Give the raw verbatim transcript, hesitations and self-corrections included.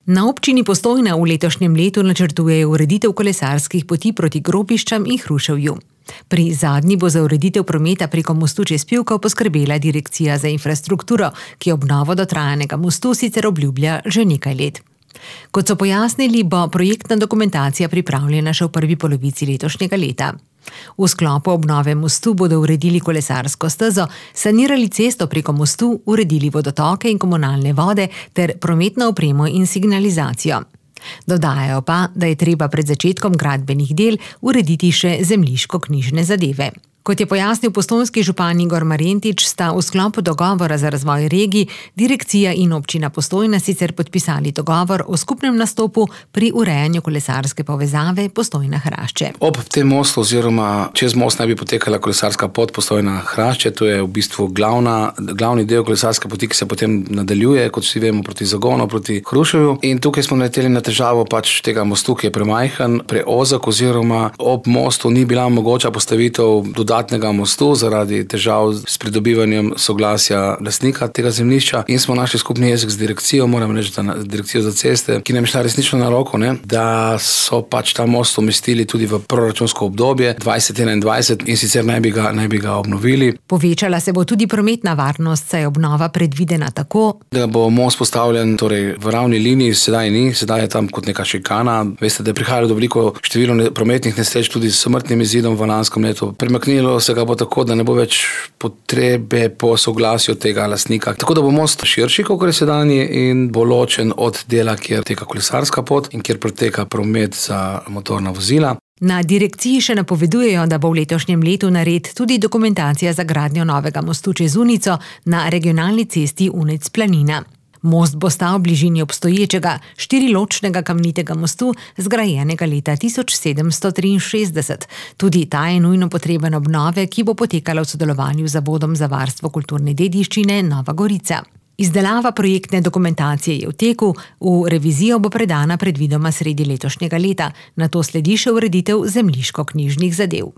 Na občini Postojna v letošnjem letu načrtujejo ureditev kolesarskih poti proti Grobiščam in Hruševju. Pri zadnji bo za ureditev prometa preko mostu čez Pivko poskrbela Direkcija za infrastrukturo, ki obnovo dotrajanega mostu sicer obljublja že nekaj let. Kot so pojasnili, bo projektna dokumentacija pripravljena še v prvi polovici letošnjega leta. V sklopu obnove mostu bodo uredili kolesarsko stezo, sanirali cesto preko mostu, uredili vodotoke in komunalne vode ter prometno opremo in signalizacijo. Dodajajo pa, da je treba pred začetkom gradbenih del urediti še zemljiško-knjižne zadeve. Kot je pojasnil postojnski župan Igor Marjentič, sta v sklopu dogovora za razvoj regij direkcija in občina Postojna sicer podpisali dogovor o skupnem nastopu pri urejanju kolesarske povezave Postojna-Hrašče. Ob tem mostu oziroma čez most naj bi potekala kolesarska pot Postojna-Hrašče, to je v bistvu glavna, glavni del kolesarske poti, ki se potem nadaljuje, kot vsi vemo, proti Zagonu, proti Hruševju. In tukaj smo naleteli na težavo pač tega mostu, ki je premajhen, preozek oziroma ob mostu ni bila mogoča postavitev dodatnega mostu zaradi težav s pridobivanjem soglasja lastnika tega zemljišča in smo našli skupni jezik z direkcijo, moram reči, da direkcijo za ceste, ki nam je šla resnično na roko, ne, da so pač ta most umestili tudi v proračunsko obdobje dvajset enaindvajset in sicer naj bi ga, naj bi ga obnovili. Povečala se bo tudi prometna varnost, saj je obnova predvidena tako, da bo most postavljen torej v ravni liniji, sedaj ni, sedaj je tam kot neka šikana. Veste, da je prihajalo do veliko število prometnih nesreč tudi s smrtnim izidom v lanskem letu. Premaknilo se ga bo tako, da ne bo več potrebe po soglasju tega lastnika. Tako da bo most širši, kot je sedanji, in bo ločen od dela, kjer teka kolesarska pot in kjer poteka promet za motorna vozila. Na direkciji še napovedujejo, da bo v letošnjem letu nared tudi dokumentacija za gradnjo novega mostu čez Unico na regionalni cesti Unec-Planina. Most bo stal v bližini obstoječega štiriločnega kamnitega mostu, zgrajenega leta tisoč sedemsto triinšestdeset. Tudi ta je nujno potreben obnove, ki bo potekala v sodelovanju z Zavodom za varstvo kulturne dediščine Nova Gorica. Izdelava projektne dokumentacije je v teku, v revizijo bo predana predvidoma sredi letošnjega leta, nato sledi še ureditev zemljiško-knjižnih zadev.